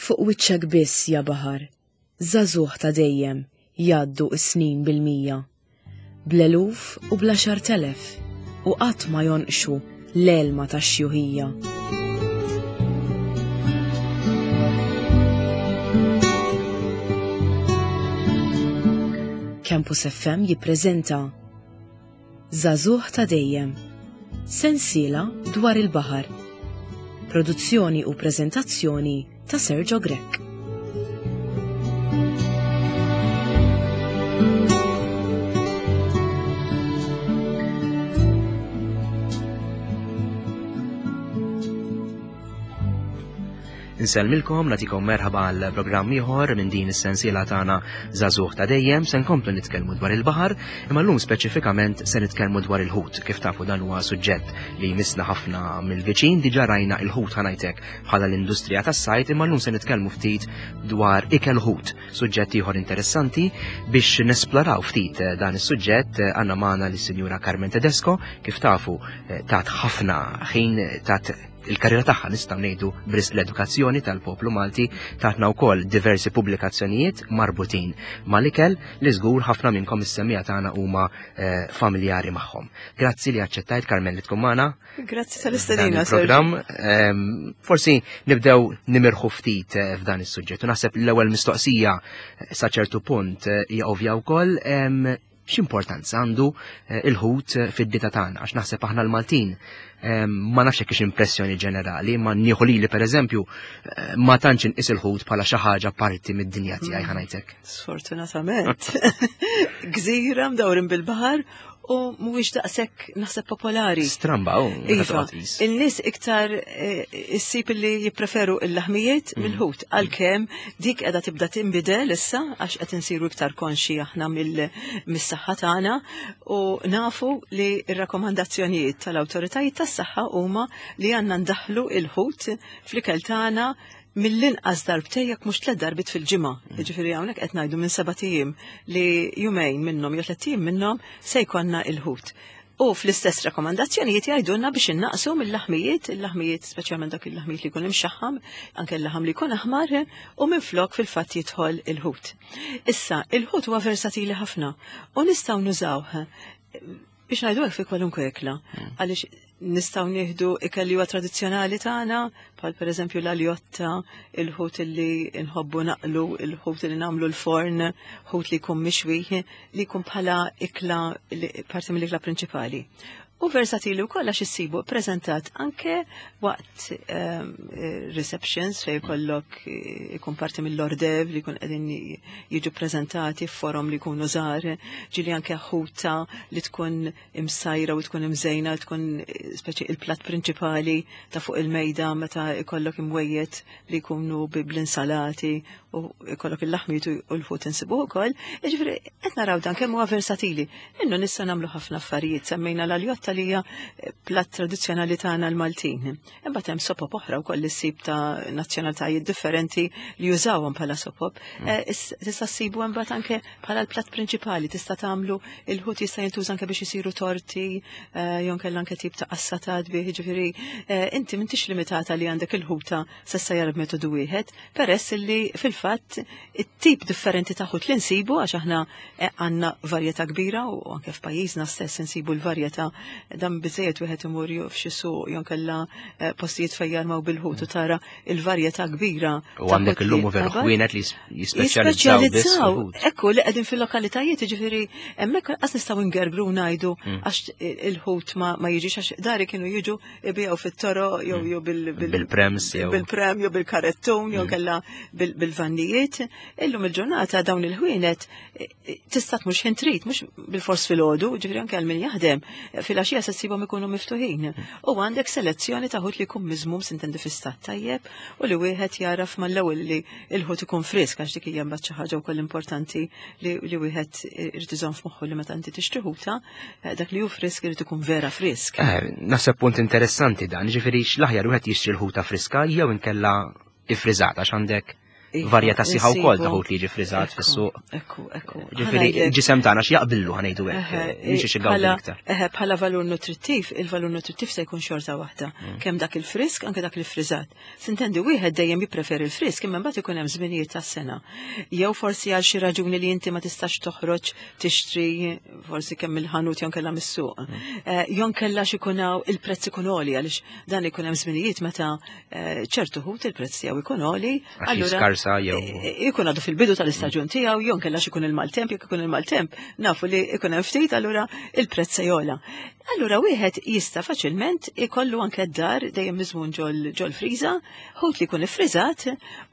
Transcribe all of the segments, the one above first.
Fuq wiċċek biss, ja baħar, żagħżugħ ta' dejjem, jgħaddu s-snin bil-mija. Bl-eluf u bl-għaxartelef, u qatt ma jonqxu l-għelma tax-xjuħija. Campus FM jippreżenta Żagħżugħ ta' dejjem. Sensiela dwar il-baħar. Produzzjoni u preżentazzjoni ta' Sergio Grech. Insellmilkom, nagħtikom merħaba għal programm ieħor minn din is-sensiela tagħna Żagħżugħ ta' dejjem se nkomplu nitkellmu dwar il-baħar, imma llum speċifikament se nitkellmu dwar il-ħut. Kif tafu dan huwa suġġett li jmissna ħafna mill-viċin, diġà rajna il-ħut ħanajtek bħala l-industrija tas-sajt, imma llum se nitkellmu ftit dwar ikel ħut, suġġett ieħor interessanti biex nesploraw ftit dan is-suġġett għandna magħna lis-Sinjura Carmen Tedesco, kif tafu eh, tat ħafna ħin tat il-karriera tagħha nistgħu ngħidu bris l-edukazzjoni tal-poplu Malti tatna wkoll diversi pubblikazzjonijiet marbutin mal-ikel li żgur ħafna minnkom is-semija tagħna huma eh, familjari magħhom. Grazzi li aċċettajt Carmen li tkun magħna. Grazzi tal-istedina. Programm ehm, forsi nibdew nimirħu ftit eh, f'dan is-suġġett. U naħseb l-ewwel mistoqsija eh, sa ċertu punt hija ovvja wkoll ehm, x'importanza għandu eh, il-ħut eh, fid-dita tagħna għax naħseb aħna l-Maltin eh, ma nafx hekk impressjoni ġenerali, ma nieħu lili pereżempju ma tantx inqis il-ħut bħala xi ħaġa parti mid-dinja tiegħi mm. ħanajtek. Sfortunatament. Gżira mdawrin bil-baħar u mhuwiex daqshekk naħseb popolari. Stramba, u. Iva, il-nies iktar eh, issib li jippreferu il-laħmijiet mm. mill-ħut, għalkemm dik qiegħda tibda tinbidel issa għax qed insiru iktar konxi aħna mis-saħħa tagħna u nafu li r-rakkomandazzjonijiet tal-awtoritajiet tas-saħħa huma li għandna ndaħlu il-ħut fl-ikel tagħna mill-inqas darbtejn jekk mhux tliet darbiet fil-ġimgħa. Mm. Jiġifieri hawnhekk qed ngħidu minn seba' ijiem li jumejn minnhom jew tliet ijiem minnhom se jkollna il-ħut. U fl-istess rakkomandazzjonijiet jgħidulna biex innaqsu mill-laħmijiet, il-laħmijiet speċjalment dak il-laħmijiet li jkun imxaħħam, anke l-laħam li jkun aħmar, u minflok fil-fatt jidħol il-ħut. Issa, il-ħut huwa versatili ħafna u nistgħu nużawh biex ngħidu hekk fi kwalunkwe ikla. Mm. Għaliex nistgħu nieħdu ikel li huwa tradizzjonali tagħna, bħal pereżempju l-aljotta, il-ħut li nħobbu naqlu, il-ħut li nagħmlu l-forn, ħut li jkun mixwi, li jkun bħala ikla parti mill-ikla prinċipali. U versatili wkoll għax issibu preżentat anke waqt ehm, receptions fejn jkollok eh, ikun parti mill-ordev li jkun qegħdin jiġu preżentati f'forom li jkunu żgħar, ġieli anke ħuta li tkun imsajra u tkun imżejna tkun eh, speċi il-platt prinċipali ta' fuq il-mejda meta ikollok imwejjed li jkunu bl-insalati u ikollok il-laħmiet u l-ħut insibuh ukoll. Jiġifieri qed naraw dan kemm huwa versatili. Innu nista' nagħmlu ħafna affarijiet, semmejna l-aljotta li hija eh, platt tradizzjonali tagħna l-Maltin. Imbagħad hemm sopop oħra wkoll li ssib ta' nazzjonalitajiet differenti li jużawhom bħala sopop. Mm. Eh, tista' ssibu imbagħad anke bħala l-platt prinċipali tista' tagħmlu il-ħut jista' jintuża anke biex isiru torti, eh, jew kellha anke tip ta' qassatat bih, jiġifieri eh, inti m'intix limitata li għandek il-ħuta se jarab metodu wieħed, peress li fil-fatt it-tip differenti ta' ħut li nsibu għax aħna eh, għandna varjetà kbira u anke f'pajjiżna stess insibu l-varjetà dan biżejjed wieħed imur f'xi suq jew kellha postijiet fejn jarmaw bil-ħut u tara il-varjetà kbira. U għandek illum u veru ħwienet li jispeċjalizzaw. Ekku li qegħdin fil-lokalitajiet, jiġifieri hemmhekk qas nistgħu ngergru ngħidu mm. għax il-ħut ma jiġix għax dari kienu jiġu ibiegħu fit-toro jew mm. jew bil-prems jew bil-prem jew bil-karettun jew mm. kellha bil-vannijiet. Illum il-ġurnata dawn il-ħwienet tista' tmur x'ħin trid, mhux bil-fors filgħodu, ġifieri anke għal min jaħdem, filgħaxija se ssibhom ikunu miftuħin. U għandek selezzjoni ta' ħut li jkun miżmum sintendi fi stat tajjeb u li wieħed jaraf mal-ewwel li l-ħut ikun frisk għax dik hija mbagħad xi ħaġa wkoll importanti li wieħed irid iżomm f'moħħu li meta inti tixtri ħuta, eh, dak li hu frisk irid ikun vera frisk. Eh, naħseb punt interessanti dan, ġifieri x'l-aħjar wieħed jixtri l-ħuta friska jew inkella ifriżata x'għandek. Iva, varjetà sieħa wkoll ta' insibu. ħut li jiġi friżat fis-suq. Ekku, ekku. Ġifieri il-ġisem tagħna x'jaqbillu ħa ngħidu hekk, mhix xi gawdi iktar. Eħe, bħala valur nutrittiv, il-valur nutrittiv se jkun xorta waħda. Kemm dak il-frisk, anke dak il-friżat. Sintendi wieħed dejjem jippreferi il-frisk, imma mbagħad ikun hemm żminijiet tas-sena. Jew forsi għal xi raġuni li inti ma tistax toħroġ tixtri forsi kemm il-ħanut jew kellha mis-suq. Jew kellha x'ikun hawn il-prezz ikun għoli għaliex dan ikun hemm żminijiet meta ċertu ħut il-prezz tiegħu ikun għoli. Għax allura- jiskarsa jew ikun għadu fil-bidu tal-istaġun tiegħu, jew nkella ikun il-maltemp, jekk ikun il-maltemp, nafu li ikun hemm ftit, allura il-prezz se jogħla. Allura wieħed jista' faċilment ikollu anke d-dar dejjem miżmun ġol friża, ħut li jkun iffriżat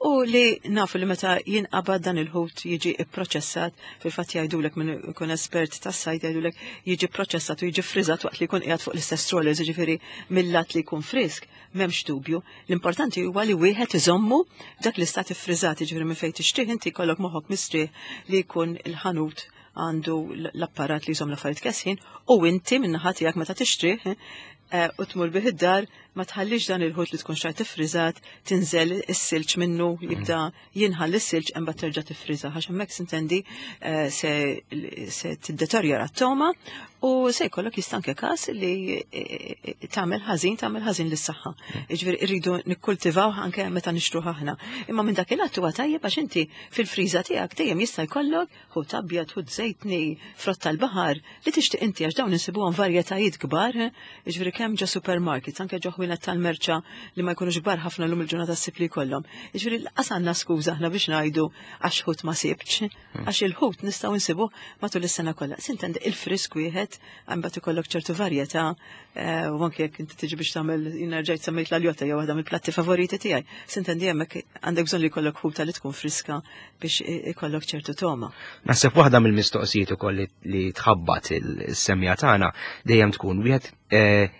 u li nafu li meta jinqabad dan il-ħut jiġi ipproċessat, fil-fatt jgħidulek minn ikun espert tas-sajd jgħidulek jiġi pproċessat u jiġi friżat waqt li jkun qiegħed fuq l-istess trawlers, jiġifieri mill-lat li jkun frisk, m'hemmx dubju. L-importanti huwa li wieħed iżommu dak l-istat iffriżat, jiġifieri minn fejn tixtrih inti jkollok moħħok mistrieħ li jkun il-ħanut għandu l-apparat li jżomm l-affarijiet kesħin u inti min-naħa tiegħek meta tixtrih u tmur bih id-dar ma tħallix dan il-ħut li tkun xtrajt iffriżat tinżel is-silġ minnu jibda jinħall is-silġ imbagħad terġa' tiffriża għax hemmhekk sintendi se tiddeterjora t-togħma u se jkollok jista' anke każ li tagħmel ħażin tagħmel ħażin lis-saħħa. Jiġifieri rridu nikkultivaw anke meta nixtruh aħna. Imma minn dak il-att huwa tajjeb għax inti fil-friża tiegħek dejjem jista' jkollok ħut abjad, ħut żejtni, frott tal-baħar li tixtieq inti għax dawn insibuhom varjetajiet kbar, jiġifieri kemm ġo supermarkets, anke ġo ħwienet tal-merċa li ma jkunux kbar ħafna llum il-ġurnata ssib li jkollhom. Jiġifieri lanqas għandna skuża aħna biex ngħidu għax ħut ma sibx, għax il-ħut nistgħu nsibuh matul is-sena kollha. Sintendi il-frisk wieħed imbagħad ikollok ċertu varjetà u anke jekk inti tiġi biex tagħmel jiena rġajt semmejt l-aljotta jew waħda mill-platti favoriti tiegħi. Sintendi hemmhekk għandek bżonn li jkollok ħuta li tkun friska biex ikollok ċertu togħma. Naħseb waħda mill-mistoqsijiet ukoll li tħabbat il-semmiegħa tagħna dejjem tkun wieħed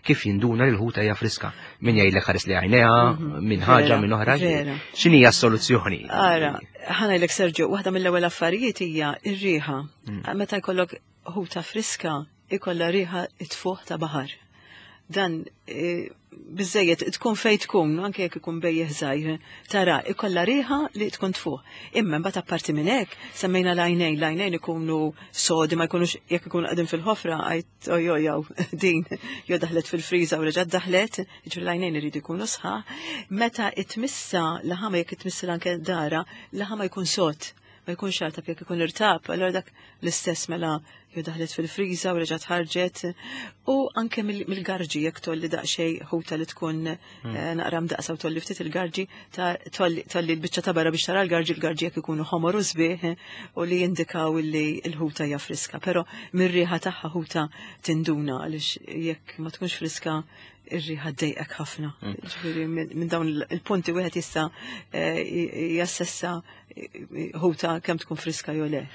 kif jinduna li l-ħuta hija friska. Min jgħidlek ħares li għajnejha, minn ħaġa, minn oħra. X'inhi hija s-soluzzjoni? Ara, ħa ngħidlek Sergio, waħda mill-ewwel affarijiet hija r-riħa. Meta jkollok ħuta friska, ikollha riħa tfuħ ta' baħar. Dan biżejjed tkun fejn tkun, anke jekk ikun bejjeħ żgħir, tara ikollha riħa li tkun tfuħ. Imma mbagħad apparti minn hekk, semmejna l-għajnejn, l-għajnejn ikunu sodi ma jkunux jekk ikunu qegħdin fil-ħofra għajt ojoj jew din jew daħlet fil-friża u reġgħet daħlet, jiġifieri l-għajnejn iridu jkunu sħaħ. Meta itmissa laħama jekk itmissa anke dara, laħama jkun sod, ma jkunx artab jekk ikun irtab, allura dak l-istess mela jew daħlet fil-friża u reġgħet ħarġet u anke mill-garġi jekk tolli daqsxejn ħuta li tkun naqra mdaqsa u tolli ftit il-garġi ta' tolli l-biċċa ta' barra biex tara l-garġi, l-garġi jekk ikunu ħomor u sbieħ u li jindikaw li l-ħuta hija friska, però mir-riħa tagħha ħuta tinduna għaliex jekk ma tkunx friska ir-riħa ddejqek ħafna. Ġifieri minn dawn il-punti wieħed jista' jassessa ħuta kemm tkun friska jew le.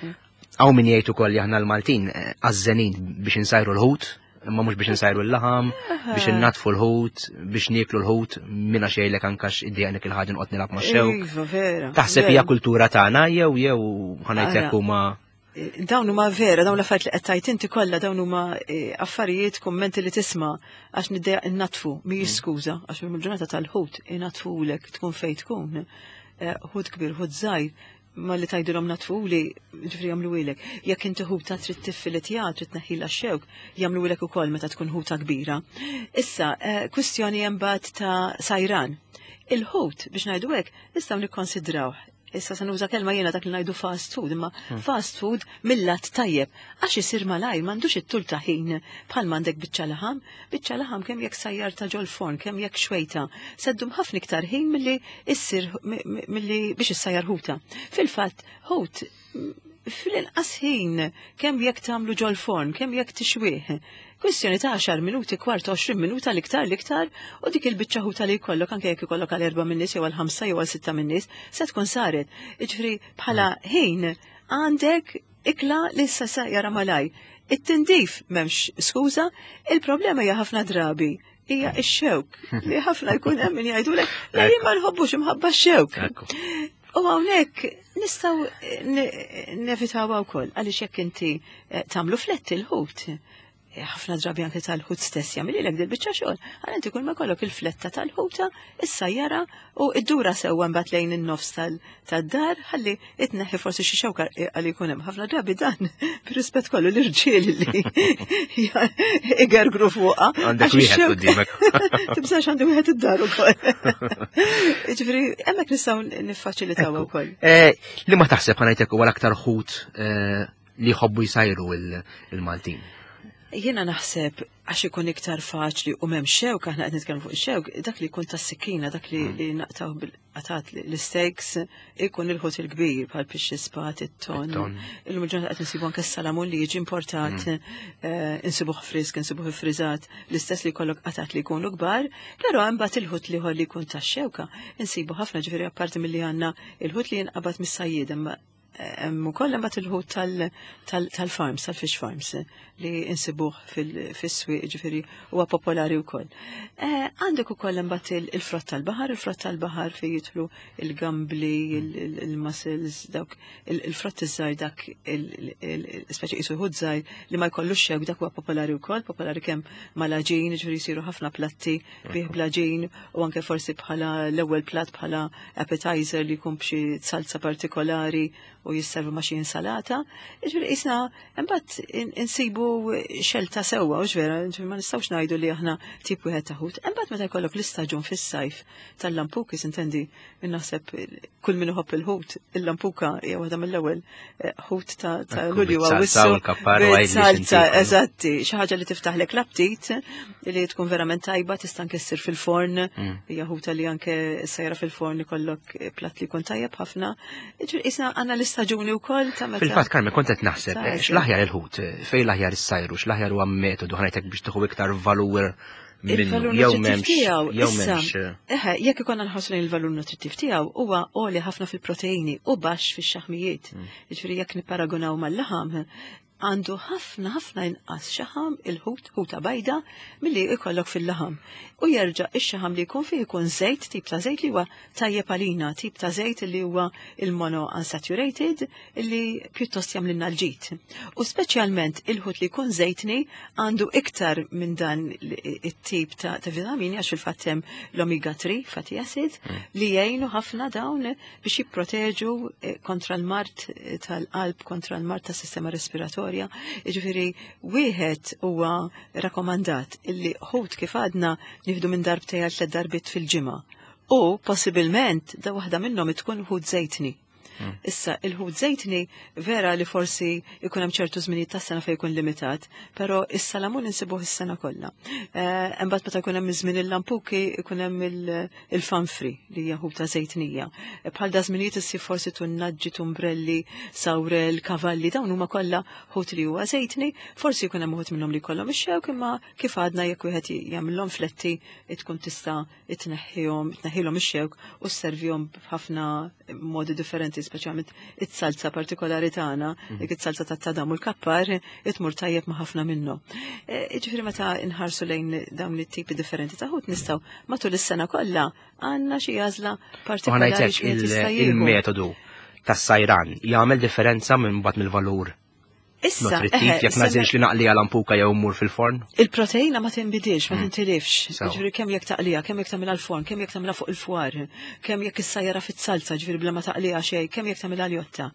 Hawn min jgħid ukoll li aħna l-Maltin għażżenin biex insajru l-ħut, imma mhux biex insajru l-laħam, biex innatfu l-ħut, biex nieklu l-ħut, minna xejlek anke iddejjaqnek il-ħaġa noqgħod nilgħab ma' xewk. Iva, vera. Taħseb hija kultura tagħna jew jew ħa ngħidlek huma Dawn huma vera, dawn l-affarijiet li qed tgħid inti kollha dawn huma affarijiet, kummenti li tisma' għax niddejjaq innatfu, mhijiex skuża, għax mill-ġurnata tal-ħut inatfulek tkun fejn tkun. Ħut kbir, ħut żgħir, ma li tgħidilhom natfuli, ġifieri jagħmluhielek. Jekk inti ħuta trid tiffiletja, trid tneħħilha x-xewk, jagħmluhielek ukoll meta tkun ħuta kbira. Issa, kwistjoni imbagħad ta' sajran. Il-ħut, biex ngħidu hekk, nistgħu nikkonsidrawh. Issa se nuża kelma jiena dak li ngħidu fast food, imma fast food mill-lat tajjeb, għax isir malajr m'għandux it-tul ta' ħin bħal m'għandek biċċa laħam, biċċa laħam kemm jekk sajjar ta' ġol forn, kemm jekk xwejta, seddum ħafna iktar ħin milli issir milli biex issajjar ħuta. Fil-fatt, ħut fl-inqas ħin kemm jekk tagħmlu ġol forn, kemm jekk tixwih. Kwistjoni ta' 10 minuti, kwart, 20 minuta l-iktar l-iktar, u dik il-biċċa ħuta li jkollok, anke jekk ikollok għal 4 min-nies jew għal 5 jew għal 6 min-nies, se tkun saret. Jiġifieri bħala ħin għandek ikla li issa sa jara malaj. It-tindif m'hemmx skuża, il-problema hija ħafna drabi hija x-xewk li ħafna jkun hemm min jgħidulek la jien ma nħobbux imħabba x-xewk. U hawnhekk nistgħu nevitawha wkoll għaliex jekk inti tagħmlu fletti l-ħut. Ħafna drabi anke tal-ħut stess jagħmililek dil-biċċa xogħol. Għal inti kull ma jkollok il-fletta tal-ħuta, issajjara u ddura sewwa mbagħad lejn in-nofs tad-dar ħalli itneħħi forsi xi xewka għal jkun hemm. Ħafna drabi dan bir-rispett kollu l-irġiel li igergru fuqha. Għandek wieħed quddiemek. Tibżax għandi wieħed id-dar ukoll. Ġifieri hemmhekk nistgħu niffaċilitaw ukoll. Eh, li ma taħseb ħanajtek huwa l-aktar ħut eh, li jħobbu jsajru il-Maltin? Jiena naħseb għax ikun iktar faċli u m'hemm xewk, aħna qed nitkellmu fuq xewk, dak li jkun tas-sikkina, dak li, li naqtaw bil-qatat l-steaks, ikun il-ħut il-kbir bħal pixxi spat, it-ton. Illum il-ġurnata qed insibu anke s-salamun li jiġi importat, eh, insibuh frisk, insibuh friżat, l-istess li jkollok qatat li jkunu kbar, però imbagħad il-ħut l-ieħor li jkun tax-xewka insibu ħafna ġifieri apparti milli għandna il-ħut li jinqabad mis-sajjied hemm ukoll imbagħad il-ħut tal-farms, tal-fish farms li insibuh fis-swieq ġifieri huwa popolari wkoll. Eh, għandek ukoll imbagħad il-frott tal-baħar, il-frott tal-baħar fejn jidħlu il-gambli, il-mussels, dawk il-frott iż-żgħir dak speċi qisu ħut żgħir li ma jkollux xewk dak huwa popolari wkoll, popolari kemm mal-għaġin, ġifieri jsiru ħafna platti bih bl-għaġin u anke forsi bħala l-ewwel platt bħala appetizer li jkun b'xi salsa partikolari u jisservu ma' xi insalata. Ġifieri qisna imbagħad insibu xelta sewwa u vera, ġifieri ma nistgħux ngħidu li aħna tip wieħed ta' ħut. Imbagħad meta jkollok l-istaġun fis-sajf tal-lampukis intendi naħseb kull min iħobb il-ħut, il-lampuka hija waħda mill-ewwel eh, ħut ta' Lulju Awwissu. Salza, eżatti, xi ħaġa li tiftaħlek l-aptit li tkun verament tajba tista' anke ssir fil-forn, mm. hija ħuta li anke sejra fil-forn ikollok platt li jkun tajjeb ħafna. Isna għandna l-istaġuni wkoll ta' meta. Fil-fatt Carmen kont qed naħseb eh, x'l-aħjar il-ħut, eh, fejn l-aħjar is-sajru, x'l-aħjar huwa metodu ħanajtek biex tieħu iktar valur il-valur nutrittiv tiegħu. Jew m'hemmx. Eh. Eħe, jekk ikonna nħossu lejn il-valur nutrittiv tiegħu huwa għoli ħafna fil-proteini u baxx fix-xaħmijiet. Mm. Jiġifieri jekk nipparagunaw mal-laħam, għandu ħafna ħafna inqas xaħam il-ħut, ħuta bajda, milli jkollok fil-laħam. U jerġa' ix-xaħam li jkun fih ikun żejt, tip ta' żejt li huwa tajjeb għalina, tip ta' żejt li huwa il-mono unsaturated li pjuttost jagħmlilna l-ġid. U speċjalment il-ħut li jkun żejtni għandu iktar minn dan it-tip ta', ta vitamini għax fil-fatt hemm l-omega 3 fatty acid mm. li jgħinu ħafna dawn biex jipproteġu eh, kontra l-mard eh, tal-qalb, kontra l-mard tas-sistema respiratorja. Jiġifieri wieħed huwa rakomandat illi ħut kif għadna nieħdu minn darbtejn għal tliet darbiet fil-ġimgħa. U possibilment da waħda minnhom tkun ħut żejtni. Hmm. Issa, il-ħut żejtni vera li forsi ikun hemm ċertu żminijiet tas-sena fejn jkun limitat, però is-salamun insibuh is-sena kollha. Eh, imbagħad meta jkun hemm iż-żmien il-lampuki ikun hemm il-fanfri li hija ħuta żejtnija. Bħal da żminijiet issib forsi tunnaġġi, tumbrelli, sawrel, kavalli, dawn huma kollha ħut li huwa żejtni, forsi jkun hemm uħud minnhom li jkollhom ix-xewk imma kif għadna jekk wieħed jagħmilhom fletti tkun tista' tneħħihom, tneħħilhom ix-xewk u sservihom b'ħafna modi differenti, speċjalment it-salza partikolari tagħna, mhm. dik it-salza tat-tadam u l-kappar, itmur tajjeb ma' ħafna minnhom. E, ġifieri meta nħarsu lejn dawn it-tipi differenti ta' ħut nistgħu matul is-sena kollha għandna xi għażla partikolari. Il-metodu tas-sajran jagħmel differenza minn bad mill-valur Issa, nutrittiv, jekk nażilx li naqli għal ampuka jew mmur fil-forn? Il-proteina ma tinbidilx, ma mm. tintilifx. Ġifieri kemm jekk taqliha, kemm jekk tagħmilha l-forn, kemm jekk tagħmilha fuq il-fwar, kemm jekk issajjara fit-salza, ġifieri bla ma taqliha xejn, kemm jekk tagħmilha ljotta.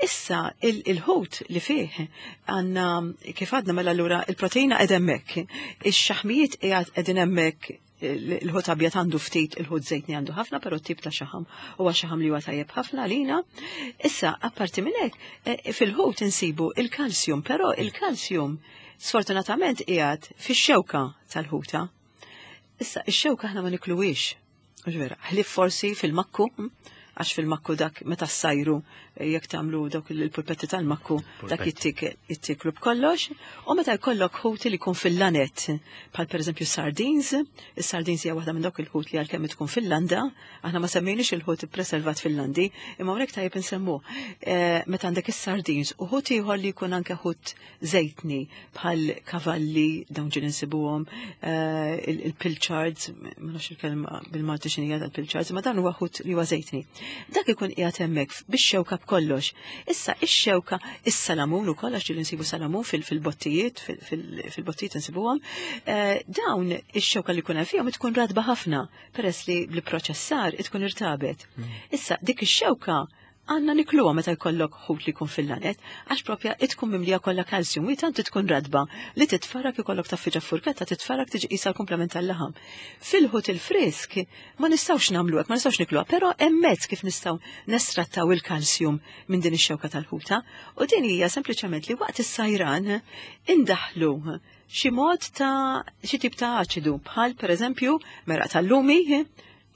Issa il-ħut li fih għandna kif għadna mela allura il-proteina qed hemmhekk, ix-xaħmijiet qiegħed qegħdin hemmhekk il-ħut abjad għandu ftit, il-ħut żejtni għandu ħafna, però tip ta' xaħam huwa xaħam li huwa tajjeb ħafna għalina. Issa, apparti minn hekk, eh, fil-ħut insibu il-kalsjum, però il-kalsjum sfortunatament qiegħed fix-xewka tal-ħuta. Issa, ix-xewka aħna ma nikluwix. Vera, ħlif forsi fil-makku, hm? għax fil-makku dak meta ssajru eh, jekk tagħmlu dawk il-pulpetti tal-makku dak jittiklu b'kollox, u meta jkollok ħut li jkun fil-lanet, bħal pereżempju sardines, is-sardines hija waħda minn dawk il-ħut li għalkemm tkun fil-landa, aħna ma semmejniex il-ħut ippreservat fil-landi, imma hawnhekk tajjeb insemmu. Eh, meta għandek is-sardines u ħut ieħor li jkun anke ħut żejtni bħal kavalli dawn ġieli nsibuhom, eh, il-pilchards, ma nafx il-kelma bil-Malti x'inhija tal-pilchards, ma dan huwa ħut li huwa żejtni. Dak ikun qiegħed hemmhekk bix-xewka b'kollox. Issa ix-xewka, is-salamun ukoll għax ġieli nsibu salamun fil-bottijiet, fil-bottijiet insibuhom, eh, dawn ix-xewka li jkun hemm fihom tkun radba ħafna peress li bl-proċessar tkun irtabet. Issa dik ix-xewka għandna nikluha meta jkollok ħut li jkun fil-lanet, għax propja tkun mimlija kollha kalsjum, u tant tkun radba li titfarak ikollok taffiġa furketta titfarak tiġi qisha l-komplement tal-laħam. Fil-ħut il-frisk ma nistgħux nagħmlu hekk, ma nistgħux nikluha, però hemm mezz kif nistgħu nestrattaw il-kalsjum minn din ix-xewka tal-ħuta, u din hija sempliċement li waqt is-sajran indaħlu xi mod ta' xi tip ta' aċidu bħal pereżempju meraq tal-lumi,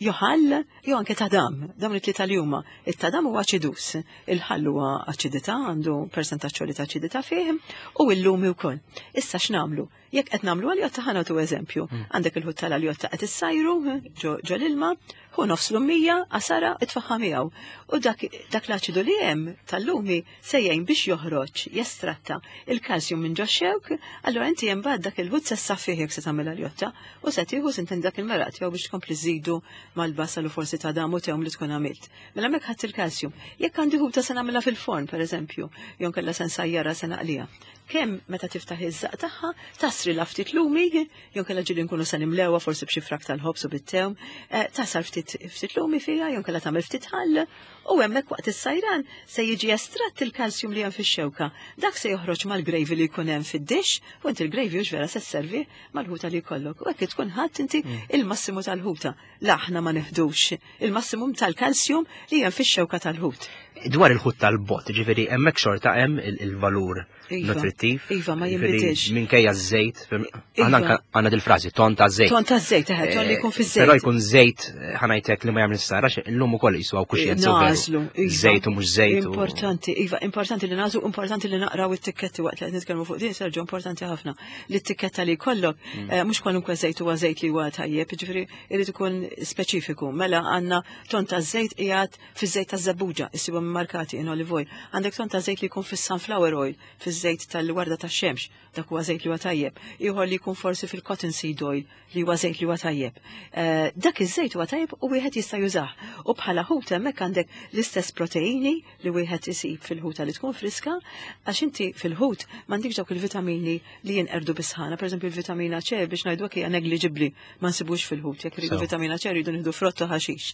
jew ħall jew anke tadam, dawn it-tlieta li huma. It-tadam huwa aċidus, il-ħall huwa aċidità, għandu persentaġġ għoli ta' aċidità fih, u l-lumi wkoll. Issa x'nagħmlu? Jekk qed nagħmlu aljotta ħa nagħtu eżempju. Għandek il-ħut tal-aljotta qed issajru ġo l-ilma, ħu nofs lumija, għasara, itfaħħa miegħu. U dak, dak l-aċidu li hemm tal-lumi se jgħin biex joħroġ, jestratta il-kalsjum minn ġo xewk, allura inti hemm bad dak il-ħut se ssaffih jekk se tagħmel aljotta u se tieħu sinten dak il-meraq tiegħu biex tkompli żidu mal-basal u forsi ta' dam u tewm li tkun għamilt. Mela hemmhekk ħadd il-kalsjum. Jekk għandi ħuta se nagħmilha fil-forn, pereżempju, jew kellha se nsajjarha se naqliha. Kemm meta tiftaħ iż-żaq tagħha, tasri la ftit lumi, jew kellha ġieli nkunu se nimlewha forsi b'xi frak tal-ħobż u bit-tewm, eh, tasar ftit ftit lumi fiha, jew kellha tagħmel ftit ħall, u hemmhekk waqt is-sajran se jiġi estratt il-kalsjum li hemm fix-xewka. Dak se joħroġ mal-gravy li jkun hemm fid-dixx, u inti l-gravy hux vera se sservi mal-ħuta li jkollok. U hekk tkun ħadd inti il-massimu tal-ħuta. La aħna ma neħdux il-massimum tal-kalsjum li hemm fix-xewka tal-ħut. Dwar il-ħut tal-bot, ġifieri hemmhekk xorta hemm il-valur Iva. nutrittiv. Iva, ma jinbidilx. Minkejja ż-żejt, aħna Iva. għandna dil-frażi, ton ta' żejt. Ton ta' żejt, eħe, ton li jkun fiż-żejt. Però jkun żejt, ħanajtek li ma jagħmel sara, illum ukoll jiswaw kuxjenza. u veru. Nażlu, iva. Żejt u mhux żejt. u- Importanti, iva, importanti li nażlu, importanti li naqraw it-tikketti waqt li qed nitkellmu fuq din, Sergio, importanti ħafna. Li t-tikketta li jkollok, mhux kwalunkwe żejt huwa żejt li huwa tajjeb, jiġifieri irid ikun speċifiku. Mela għandna ton ta' żejt qiegħed fiż-żejt taż-żebbuġa, issibhom immarkati in olive oil. Għandek ton ta' żejt li jkun fis-sunflower oil, fiż-żejt tal-warda tax-xemx, dak huwa żejt li huwa tajjeb. Ieħor li jkun forsi fil-cotton seed oil, li huwa żejt li huwa tajjeb. Eh, dak iż-żejt huwa tajjeb u wieħed jista' jużah. U bħala ħut hemmhekk għandek l-istess proteini li wieħed isib fil-ħuta li tkun friska, għax inti fil-ħut m'għandikx dawk il-vitamini li jinqerdu bis-sħana. Pereżempju il-vitamina C biex ngħidu hekk hija negliġibbli ma nsibux fil-ħut, jekk iridu vitamina C rridu nieħdu frott u ħaxix.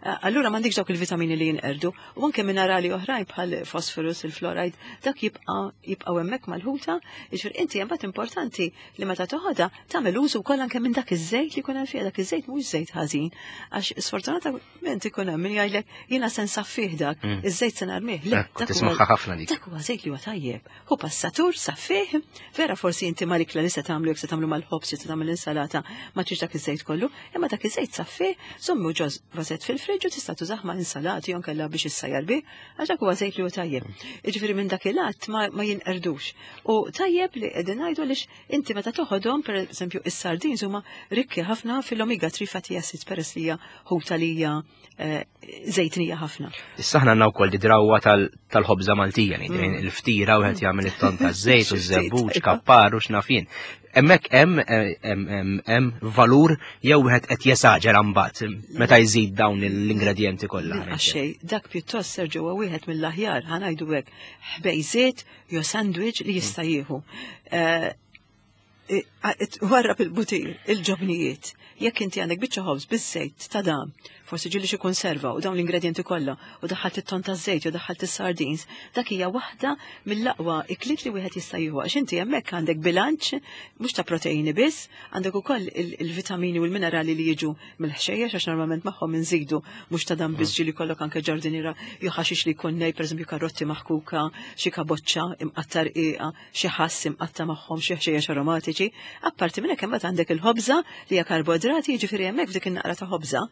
Eh, allura m'għandikx dawk il-vitamini li jinqerdu u anke minerali oħrajn bħal fosforus, il-fluoride, dak jibqa' jibqgħu hemmhekk mal-ħuta. Jiġifieri inti imbagħad importanti li meta toħodha tagħmel użu wkoll anke minn dak iż-żejt li jkun hemm fiha, dak iż-żejt mhux żejt ħażin, għax sfortunatament ikun hemm min jgħidlek jiena se nsaffih dak, iż-żejt se narmih. Le, Ekku, tismagħha ħafna dik. Dak huwa żejt li huwa tajjeb. Hu passatur, saffih, vera forsi inti mal-ikla li se tagħmlu jekk se tagħmlu mal-ħobż jew se tagħmel insalata ma tridx dak iż-żejt kollu, imma dak iż-żejt saffih, żommu ġo vażett fil-friġġ u tista' tużah ma' insalati jew inkella biex issajjar bih, għax dak huwa żejt li hu tajjeb. Jiġifieri minn dak il-att ma, ma jinqerdux. U tajjeb li qegħdin ngħidu għaliex inti meta toħodhom, pereżempju, is-sardins huma rikki ħafna fil-omega 3 fatty acids peress li hija ħuta li hija eh, żejtnija ħafna. Issa aħna għandna wkoll di drawwa tal-ħobża Maltija, ngħid mm. il-ftira wieħed jagħmel it-ton taż-żejt u ż-żebbuġ, kappar u x'naf jien. Hemmhekk hemm hemm valur jew wieħed qed jesaġera mbagħad meta jżid dawn l-ingredjenti kollha. Għaxej, dak pjuttost Sergio huwa wieħed mill-aħjar ħanajdu hekk ħbejżiet jew sandwich li jista' jieħu. Eh, warrab il-butir, il-ġobnijiet. Jekk inti għandek biċċa ħobż biż-żejt ta' dam, forsi ġieli xi konserva u dawn l-ingredjenti kollha u daħħalt it-ton ta' żejt jew daħħalt is-sardines, dak hija waħda mill-aqwa ikliet li wieħed jista' jieħu għax inti hemmhekk għandek bilanċ mhux ta' proteini biss, għandek ukoll il-vitamini u l-minerali li jiġu mill-ħxejjex għax normalment magħhom inżidu mhux ta' dan biss ġieli kollok anke ġardiniera jew ħaxix li jkun nej, pereżempju karotti maħkuka, xi kaboċċa imqatta' rqiqa, xi ħass imqatta' magħhom xi ħxejjex aromatiċi. Apparti minn hekk imbagħad għandek il-ħobża li hija karboidrati, jiġifieri hemmhekk f'dik in-naqra ta' ħobża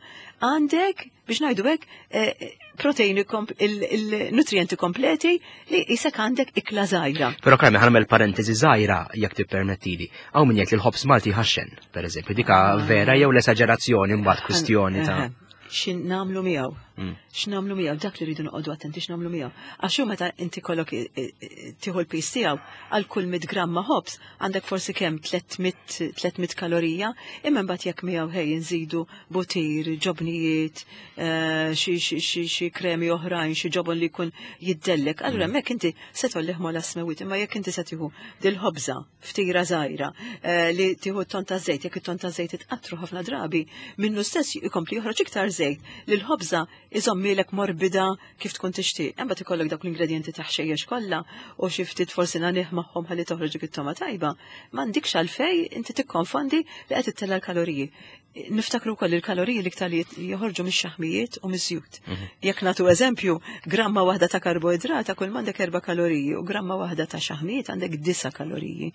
għandek biex ngħidu hekk eh, proteini il-nutrijenti kompleti li jisek għandek ikla żgħira. Però Carmen ħanamel parentesi żgħira jekk tippermettili. Hawn min jgħid li l-ħobż Malti ħaxxen, pereżempju, dika ah. vera jew l-esaġerazzjoni mbagħad kwistjoni ta' eh, eh. X'nagħmlu miegħu? X'nagħmlu miegħu? Dak li rridu noqogħdu attenti x'nagħmlu miegħu. Għax hu meta inti kollok tieħu l-piż tiegħu għal kull 100 gramma ħobż għandek forsi kemm 300 kalorija, imma mbagħad jekk miegħu ħej nżidu butir, ġobnijiet, xi kremi oħrajn, xi ġobon li jkun jiddellek, allura hemmhekk inti se tollih mola smewit, imma jekk inti se tieħu dil-ħobża ftira żgħira li tieħu t-ton ta' żejt, jekk it-ton ta' żejt itqattru ħafna drabi, minnu stess jkompli joħroġ iktar żejt li l-ħobża iżommilek morbida kif tkun tixtieq. Imbagħad ikollok dawk l-ingredjenti ta' ħxejjex kollha u xi ftit forsi nanih magħhom ħalli toħroġ dik it-toma tajba. M'għandikx għalfej inti tikkonfondi li qed ittella' l-kaloriji. Niftakru wkoll il-kaloriji l-iktar li joħorġu mix-xaħmijiet u miż-żjut. Jekk nagħtu eżempju, gramma waħda ta' karboidrata kull m'għandek 4 kaloriji u gramma waħda ta' xaħmijiet għandek 9 kaloriji.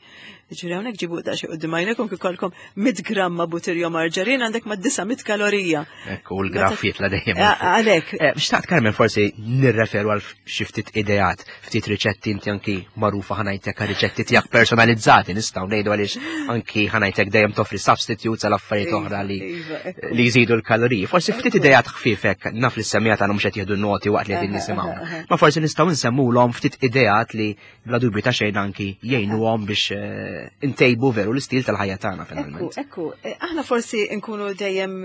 Ġifieri hawnhekk ġibu daqsxejn quddiem għajnejkom kif ikollkom 100 gramma butir jew marġarin għandek ma' 900 kalorija. Ekku, u l-graff jitla' dejjem. Għalhekk. Xtaqt Carmen forsi nirreferu għal xi ftit ideat, ftit riċetti inti anki magħrufa ħanajtek għal riċetti tiegħek personalizzati, nistgħu ngħidu għaliex anki ħanajtek dejjem toffri substitutes għal affarijiet oħra li jżidu l-kaloriji. Forsi ftit ideat ħfifek, naf li s-semmiegħa tagħna mhux qed jieħdu noti waqt li qegħdin nisimgħu. Ma forsi nistgħu nsemmulhom ftit ideat li bla dubju ta' xejn anki jgħinuhom biex intejbu veru l-istil tal-ħajja tagħna finalment. Ekku, aħna forsi nkunu dejjem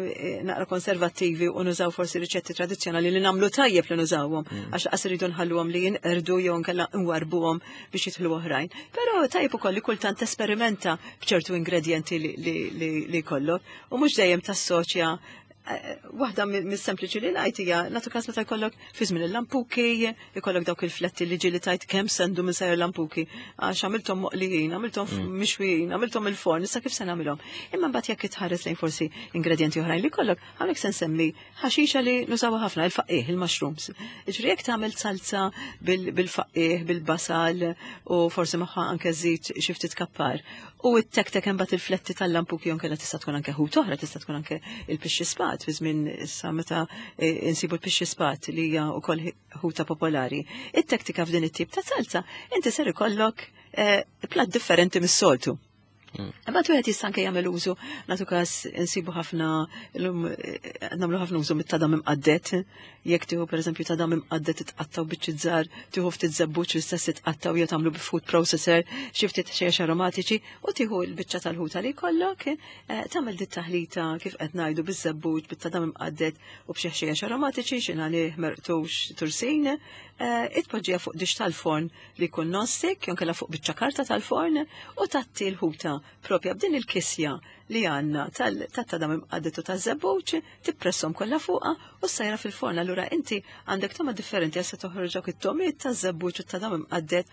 naqra konservattivi u nużaw forsi riċetti tradizzjonali li nagħmlu tajjeb li nużawhom, għax qas iridu nħalluhom li jinqerdu jew nkella nwarbuhom biex jidħlu oħrajn. Però tajjeb ukoll li kultant tesperimenta b'ċertu ingredjenti li jkollok u mhux dejjem tassoċja. Waħda mis-sempliċi li ngħid hija nagħtu każ meta jkollok fi żmien il-lampuki, jkollok dawk il-fletti li ġieli tajt kemm sendu minn sajr lampuki, għax għamilthom moqlijin, għamilthom mixwijin, għamilthom il-forn, issa kif se nagħmilhom. Imma mbagħad jekk itħares lejn forsi ingredjenti oħrajn li jkollok, hawnhekk se nsemmi ħaxixa li nużawha ħafna, il-faqih, il-mushrooms. Jiġifieri jekk tagħmel salza bil-faqih, bil-basal u forsi magħha anke żid xi ftit kappar. U t-tek-tek imbagħad il-fletti tal-lampuki jew inkella tista' tkun anke ħut oħra, tista' tkun anke il-pixxi spat fi żmien issa meta insibu l-pixxi spat li hija wkoll ħuta popolari. It-tektika f'din it-tip ta' salza inti ser ikollok plat differenti mis-soltu. Imbagħad wieħed jista' anke jagħmel użu, nagħtu każ insibu ħafna illum nagħmlu ħafna użu mit-tadam imqaddet. Jekk tieħu pereżempju tadam imqaddet titqattaw biċċi żgħar, tieħu ftit żebbuġ l-istess titqattaw jew tagħmlu bi food processor, xi ftit ħxejjex aromatiċi u tieħu l-biċċa tal-ħuta li jkollok, tagħmel dit taħlita kif qed ngħidu biż-żebbuġ, bit-tadam imqaddet u b'xi ħxejjex aromatiċi, xi nagħlih merqtux tursin, itpoġġiha fuq dix tal-forn li jkun non-stick, jew inkella fuq biċċa karta tal-forn u tatti l-ħuta propja b'din il-kisja li għandna tat-tadam imqaddet u taż-żebbuġ, tippresshom kollha fuqha u ssajra fil-forn. Allura inti għandek toma differenti għax se toħroġ dawk it-tomiet taż-żebbuġ u t-tadam imqaddet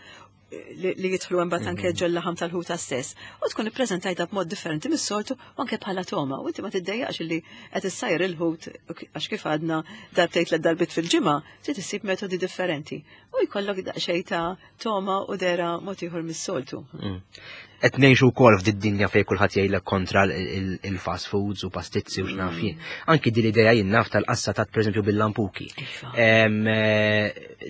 li jidħlu imbagħad anke ġol-laħam tal-ħuta stess. U tkun ippreżentajta b'mod differenti mis-soltu u anke bħala toma. U inti ma tiddejjaqx li qed issajr il-ħut għax kif għadna darbtejn tliet darbiet fil-ġimgħa, trid issib metodi differenti. U jkollok daqsxejn ta' toma u dera mod ieħor mis-soltu. Qed ngħixu wkoll f'din id-dinja fejn kulħadd jgħidlek kontra il-fast foods u pastizzi u x'naf jien. Anki din l-idea jien naf tal-qassa tat pereżempju bil-lampuki.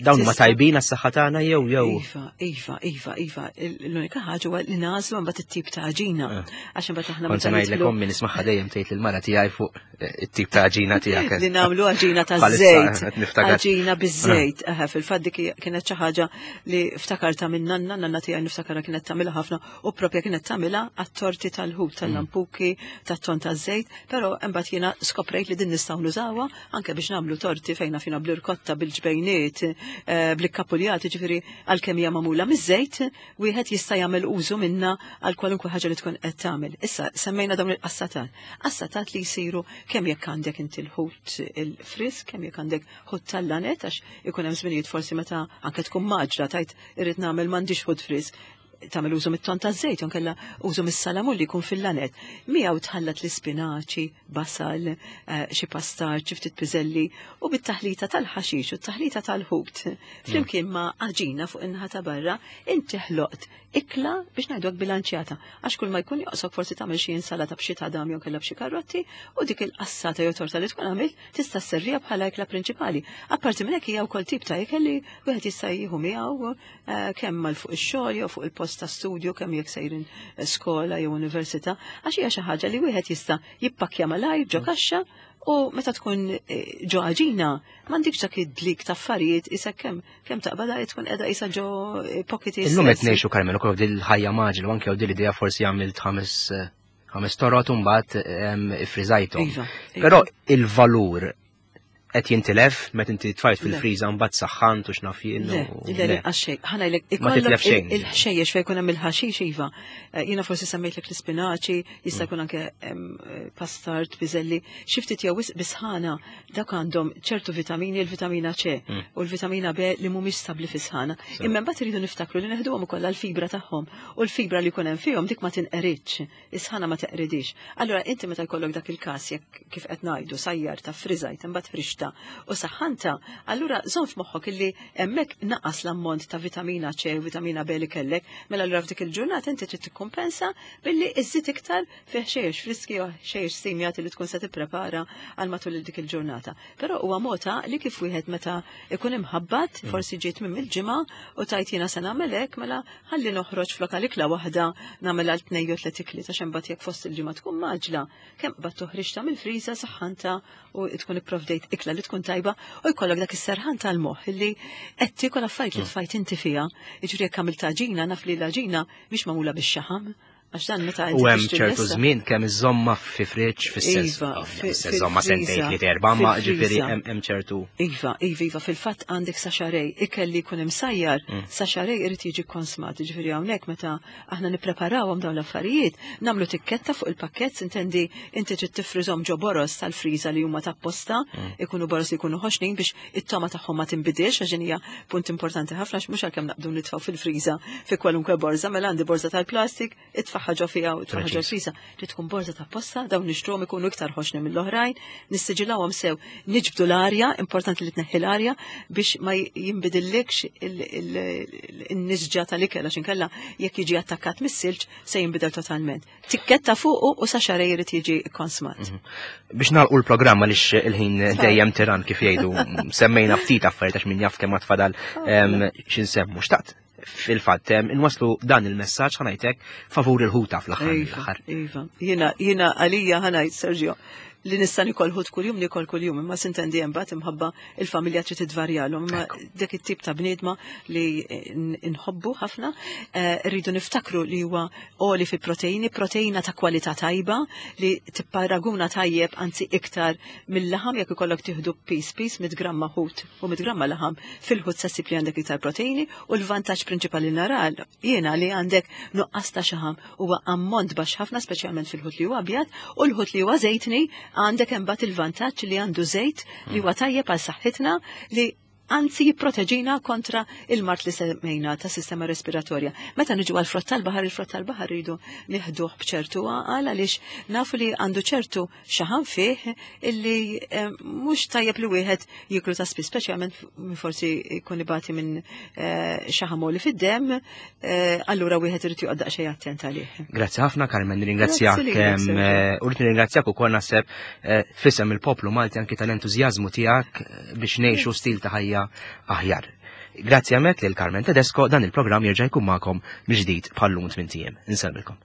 Dawn huma tajbin għas-saħħa tagħna jew jew. Iva, iva, iva, iva. L-unika ħaġa huwa li nagħżlu mbagħad it-tip ta' għaġina. Għax imbagħad aħna Kont meta ngħidlek nidħlu ommi nismagħha dejjem tgħid lill-mara tiegħi fuq it-tip ta' għaġina tiegħek. Li nagħmlu għaġina ta' Bħalissa, żejt. qed niftakar. Għaġina biż-żejt. Eħe, fil-fatt dik kienet xi ħaġa li ftakarta minn nanna, nanna tiegħi niftakarha kienet tagħmilha ħafna u propja kienet tagħmilha għat-torti tal-ħut, tal-lampuki, tat-ton taż-żejt, però imbagħad jiena skoprejt li din nistgħu nużawha anke biex nagħmlu torti fejn fina bl-irkotta, bil-ġbejniet, bl-ikkapuljati, ġifieri għalkemm hija magħmula miż-żejt, wieħed jista' jagħmel użu minnha għal kwalunkwe ħaġa li tkun qed tagħmel. Issa semmejna dawn il-qassatat. Qassatat li jsiru kemm jekk għandek inti l-ħut il-frisk, kemm jekk għandek ħut tal-lanet, għax ikun hemm żminijiet forsi meta anke tkun maġra tajt irrid nagħmel m'għandix ħut frisk, tagħmel użu mit-ton taż-żejt, jew inkella użu mis-salamun li jkun fil-lanet. Miegħu tħallat l-ispinaċi, basal, xi pastar, xi ftit piżelli u bit-taħlita tal-ħaxix u t-taħlita tal-ħut. Flimkien ma' għaġina fuq in-naħa ta' barra, inti ħloqt ikla biex ngħidu hekk bilanċjata, għax kull ma jkun joqsok forsi tagħmel xi insalata b'xi tadam jew kellha b'xi karrotti u dik il-qassata jew torta li tkun għamilt tista' sserviha bħala ikla prinċipali. Apparti minn hekk hija wkoll tip ta' ikel li wieħed jista' jieħu miegħu kemm mal fuq ix-xogħol jew fuq il-post ta' studju, kemm jekk sejrin skola jew università, għax hija xi ħaġa li wieħed jista' jippakkja malajr ġo kaxxa. U meta tkun eh, ġo għaġina, m'għandikx dak id-dlik ta' affarijiet isek kemm kemm taqbadha tkun qiegħda isa ġo eh, pocket Illum qed ngħixu Carmel ukoll din il-ħajja maġel u anke din l-idea forsi għamilt ħames eh, ħames torot u mbagħad ifriżajthom. Iva, iva. Però il-valur qed jintilef meta inti tfajt fil-friża mbagħad saħħant u x'naf jien. Le, le, le, għax-xejn. Ħa ngħidlek, Ma titlef ikollok xejn. il-ħxejjex fejn jkun hemm il-ħaxix iva. Eh, Jiena forsi semmejtlek l-ispinaċi, jista' jkun anke eh, pastard, piżelli, xi ftit jew wisq bisħana dak għandhom ċertu vitamini, il-vitamina C u l-vitamina B li mhumiex stabbli fis-sħana. Imma mbagħad iridu niftakru li neħduhom ukoll għall-fibra tagħhom u l-fibra li jkun hemm fihom dik ma tinqeridx. Is-sħana ma teqridix. Allura inti meta jkollok dak il-każ jekk kif qed ngħidu sajjar ta' friżajt imbagħad frixta u saħħanta, allura żomm f'moħħok illi hemmhekk naqas l-ammont ta' vitamina C u vitamina B li kellek, mela allura f'dik il-ġurnata inti trid tikkumpensa billi iżżid iktar fi ħxejjex friski u ħxejjex stimjati li tkun se tipprepara għal matul dik il-ġurnata. Però huwa mod li kif wieħed meta ikun imħabbat, forsi ġiet minn il-ġimgħa u tajt jiena se nagħmel hekk, mela ħalli noħroġ flok għal ikla waħda nagħmel għal tnejn jew tliet ikliet għax imbagħad jekk fost il-ġimgħa tkun maġla, kemm qbad toħriġta mill-friża saħħanta u tkun ipprovdejt ikla li tkun tajba u jkollok dak is-serħan tal-moħħ illi qed tiekol affarijiet li tfajt inti fiha. Jiġifieri jekk għamilt għaġina naf li l-għaġina mhix magħmula bix-xaħam. Għax dan meta U hemm ċertu żmien kemm iżomma fi friġġ fis-sens. Iva, Iżomma sentejn tliet erba' ma ġifieri hemm ċertu. Iva, iva, iva, fil-fatt għandek sa xarej, ikel li jkun imsajjar, sa xarej irid jiġi konsmat, ġifieri hawnhekk meta aħna nippreparawhom dawn l-affarijiet, nagħmlu tikketta fuq il-pakkett, intendi inti trid tifriżhom ġo boros tal-friża li huma tapposta, ikunu boros li jkunu ħoxnin biex it-toma tagħhom ma tinbidilx għax din hija punt importanti ħafna għax mhux għalkemm naqbdu nitfgħu fil-friża fi kwalunkwe borża, mela għandi borża tal-plastik, itfaħħa ġo fiha u itfaħħa ġo friża. Li tkun borża ta' posta, dawn nixtruhom ikunu iktar ħoxni mill-oħrajn, nissiġilawhom sew, niġbdu l-arja, importanti li tneħħi l-arja biex ma jinbidillikx il-nisġa tal-ikel għax inkella jekk jiġi attakkat mis-silġ se jinbidel totalment. Tikketta fuqu u sa xarej irid jiġi konsmat. Biex nagħlqu l-programm għaliex il-ħin dejjem tiran kif jgħidu, semmejna ftit affarijiet għax min jaf kemm tfadal x'insemmu. Xtaqt fil-fatt inwaslu dan il-messaġġ ħa ngħidlek favur il-ħuta fl-aħħar Iva, mill-aħħar. iva. Jiena għalija ħa ngħid Sergio li nista' nikol ħut kuljum nikol kuljum, imma sintendi hemm mbagħad imħabba il-familja trid tidvarjalhom, imma dak it-tip ta' bniedma li nħobbu ħafna, rridu niftakru li huwa għoli fi proteini, proteina ta' kwalità tajba li tipparaguna tajjeb anzi iktar mill-laħam jekk ikollok tieħdu pis pis 100 gramma ħut u 100 gramma laħam fil-ħut se ssib li għandek iktar proteini u l-vantaġġ prinċipali nara jiena li għandek nuqqas ta' xaħam huwa ammont baxx ħafna speċjalment fil-ħut li huwa abjad u l-ħut li huwa żejtni għandek imbagħad il-vantaġġ li għandu żejt li huwa tajjeb għal saħħitna li anzi jipproteġina kontra il-mard li semmejna ta' sistema respiratorja. Meta niġu għal frott tal-baħar, il-frott tal-baħar rridu nieħduh b'ċertu għaqal għaliex nafu li għandu ċertu xaħam fih illi mhux tajjeb li wieħed jiklu ta' spiss, speċjalment forsi jkun ibati minn xaħam li fid-demm, allura wieħed irid joqgħod daqsxejn attent għalih. Grazzi ħafna Carmen, nirringrazzjak, Grazzi lilek, Sergio. u rrid nirringrazzjak ukoll naħseb fisem il-poplu Malti anki tal-entużjażmu tiegħek biex ngħixu stil ta' ħajja aħjar. Grazzi għamek lil Carmen Tedesco, dan il-programm jerġa' jkun magħkom mill-ġdid bħal-lum tmien ijiem. Insellmilkom.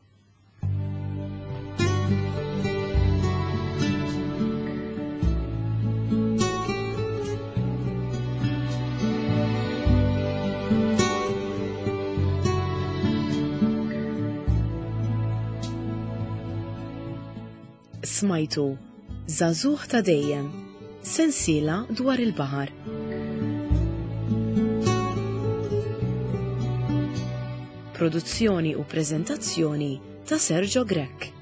Smajtu Żagħżugħ ta' dejjem, sensiela dwar il-baħar. Produzzjoni u preżentazzjoni ta' Sergio Grech.